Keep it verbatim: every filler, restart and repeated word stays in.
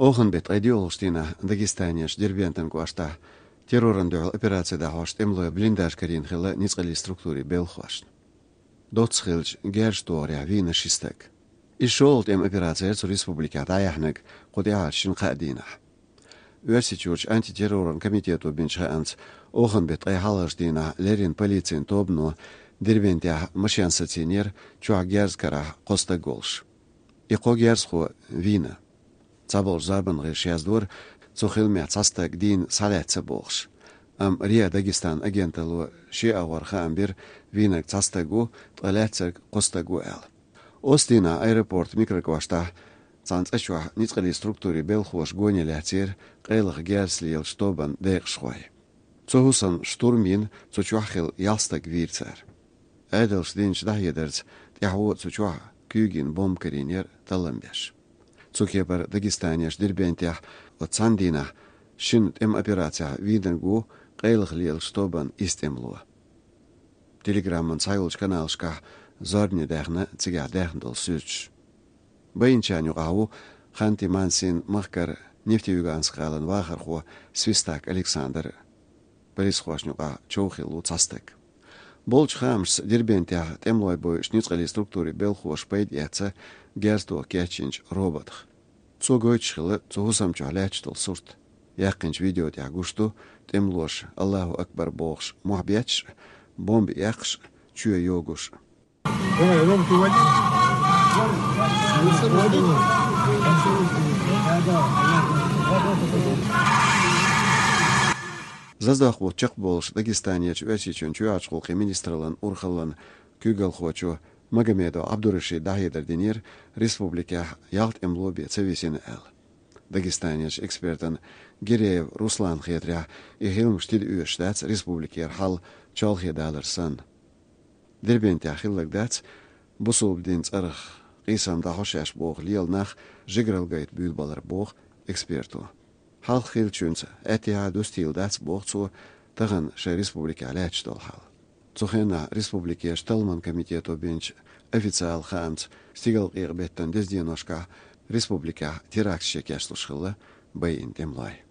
Оханан беттан ткъе доьалгӀачу дийнахь Дагестанерчу Дербентан кӀоштахь террорна дуьхьал операци дӀахьош тӀемалойн блиндаж карийна хилла ницкъаллин структурийн белхахошна. Доцца хиллачу герзаш дохорехь вийна ши стаг. Иза шолгӀа тӀеман операци яра цу республикехь дӀаяьхьнарг кху тӀаьхьарчу шина-кхаа дийнахь. Оьрсийчуьрчу антитерроран комитето бинчу хаамца, оханан беттан ткъе хьалхарчу дийнахь леррина полицин тобано Дербентехь машен сацийнера, чохь герз карахь кхо стаг волуш. И кхо герзахо вийна. Цхьаболчу зорбанан гӀирсаша яздора, цу хиламехь цхьа стаг дийна схьалаьцна бохуш. Амма РИА Дагестан агенталло шен агӀор хаам бира, вийнарг цхьа стаг ву, ткъа лаьцнарг кхо стаг ву аьлла. Оцу дийнахь аэропортан микрокӀоштахь цхьана цӀа чохь ницкъаллин структурийн белхахоша гоне лаьцнера къайлаха герз лелачу тобанан декъашхой. Цу хӀусамна штурм йина, цу чохь хилла ялх стаг вийра цара. Ӏедалша динчу дӀахьедарца, тӀаьхьо цу чохь куьйга йина бомба карийнера таллам беш. Цу кепара Дагестанерчу Дербентехь оцу цхьана дийнахь шина тӀеман операцехь вийнарг ву къайлаха лелачу тобанан исс тӀемало. Телеграман цхьайолчу каналашкахь зорбане даьхна цигахь даьхна долу суьрташ. Байинчарна юкъахь ву Ханты-Мансин махкара Нефтеюганск гӀалин вахархо Свистак Александр. Полисхошна юкъахь чов хилла ву цхьа стаг. Болчу хаамашца, Дербентехь тӀемалой бойуш ницкъаллин структурийн белхахоша пайда эцна герз тоха кечйинчу роботах. Цо гойтуш хилла цу хӀусам чохь лаьтташ долу сурт. Яьккхинчу видео тӀехь гуш ду тӀемалоша «Аллаху акбар» бохуш мохь бетташ а, бомба эккхаш а, чоь йогуш а. Заздохку чекхболуш Дагестанерчу Оьрсийчоьнан чоьхьарчу гӀуллакхийн министраллан урхаллин куьйгалхочо Магомедов Ӏабдурашида дӀахьедар динера, республикехь ялх тӀемало бен ца висина аьлла. Дагестанерчу экспертана Гиреев Русланна хетарехь, и хиламаш тида оьшуш дац республикера хьал чолхе далар санна. Дербентехь хилларг дац бусалба динан цӀарах къийсам дӀахьо шаьш боху лела нах жигаралла гайта буьйлабалар, боху эксперто. Хьалха хиллачуьнца аьттехьа а дустийла дац, боху цо, тахана шайн республикехь лаьтташ долу хьал. Цу хенахь республикерчу талламан комитето бинчу официалан хаамца, стигалкъекъа-беттан деза деношкахь республикехь теракташ кечдеш хилла байина тӀемалой.